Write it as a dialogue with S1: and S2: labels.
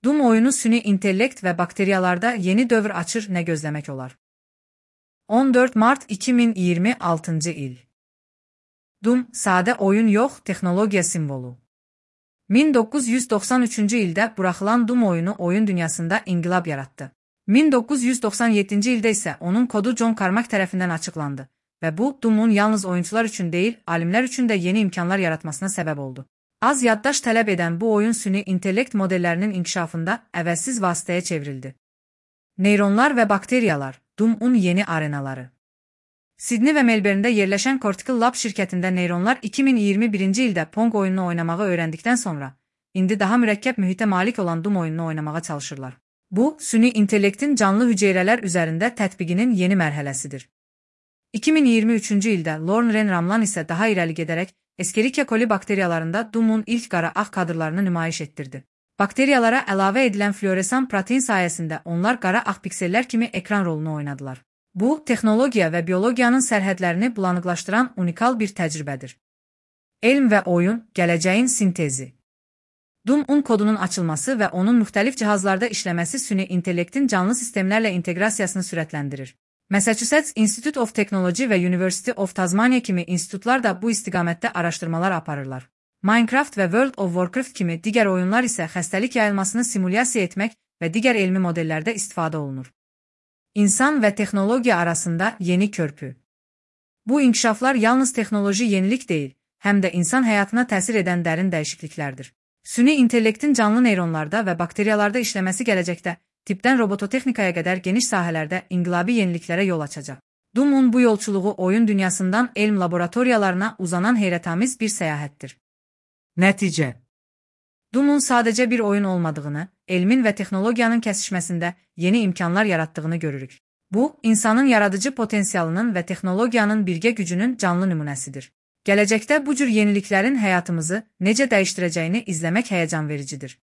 S1: Doom oyunu süni intellekt və bakteriyalarda yeni dövr açır, nə gözləmək olar? 14 mart 2026 il. Doom, sadə oyun yox, texnologiya simvolu. 1993-cü ildə buraxılan Doom oyunu oyun dünyasında inqilab yaratdı. 1997-ci ildə isə onun kodu John Carmack tərəfindən açıqlandı və bu, Doom'un yalnız oyuncular üçün deyil, alimlər üçün də yeni imkanlar yaratmasına səbəb oldu. Az yaddaş tələb edən bu oyun süni intellekt modellərinin inkişafında əvəzsiz vasitəyə çevrildi. Neyronlar və bakteriyalar, Doom'un yeni arenaları. Sydney və Melbourne'də yerləşən Cortical Lab şirkətində neyronlar 2021-ci ildə Pong oyununu oynamağı öyrəndikdən sonra, indi daha mürəkkəb mühitə malik olan Doom oyununu oynamağa çalışırlar. Bu, süni intellektin canlı hüceyrələr üzərində tətbiqinin yeni mərhələsidir. 2023-cü ildə Lorne Ren Ramlan isə daha irəli gedərək Escherichia coli bakteriyalarında Doom'un ilk qara ağ kadrlarını nümayiş etdirdi. Bakteriyalara əlavə edilən fluoresan protein sayəsində onlar qara ağ piksellər kimi ekran rolunu oynadılar. Bu, texnologiya və biologiyanın sərhədlərini bulanıqlaşdıran unikal bir təcrübədir. Elm və oyun, gələcəyin sintezi. Doom'un kodunun açılması və onun müxtəlif cihazlarda işləməsi süni intellektin canlı sistemlərlə inteqrasiyasını sürətləndirir. Massachusetts Institute of Technology və University of Tasmania kimi institutlar da bu istiqamətdə araşdırmalar aparırlar. Minecraft və World of Warcraft kimi digər oyunlar isə xəstəlik yayılmasını simulyasiya etmək və digər elmi modellərdə istifadə olunur. İnsan və texnologiya arasında yeni körpü. Bu inkişaflar yalnız texnoloji yenilik deyil, həm də insan həyatına təsir edən dərin dəyişikliklərdir. Süni intellektin canlı neyronlarda və bakteriyalarda işləməsi gələcəkdə tipdən robototexnikaya qədər geniş sahələrdə inqilabi yeniliklərə yol açacaq. Doom'un bu yolçuluğu oyun dünyasından elm laboratoriyalarına uzanan heyrətamiz bir səyahətdir.
S2: Nəticə.
S1: Doom'un sadəcə bir oyun olmadığını, elmin və texnologiyanın kəsişməsində yeni imkanlar yaratdığını görürük. Bu, insanın yaradıcı potensialının və texnologiyanın birgə gücünün canlı nümunəsidir. Gələcəkdə bu cür yeniliklərin həyatımızı necə dəyişdirəcəyini izləmək həyəcan vericidir.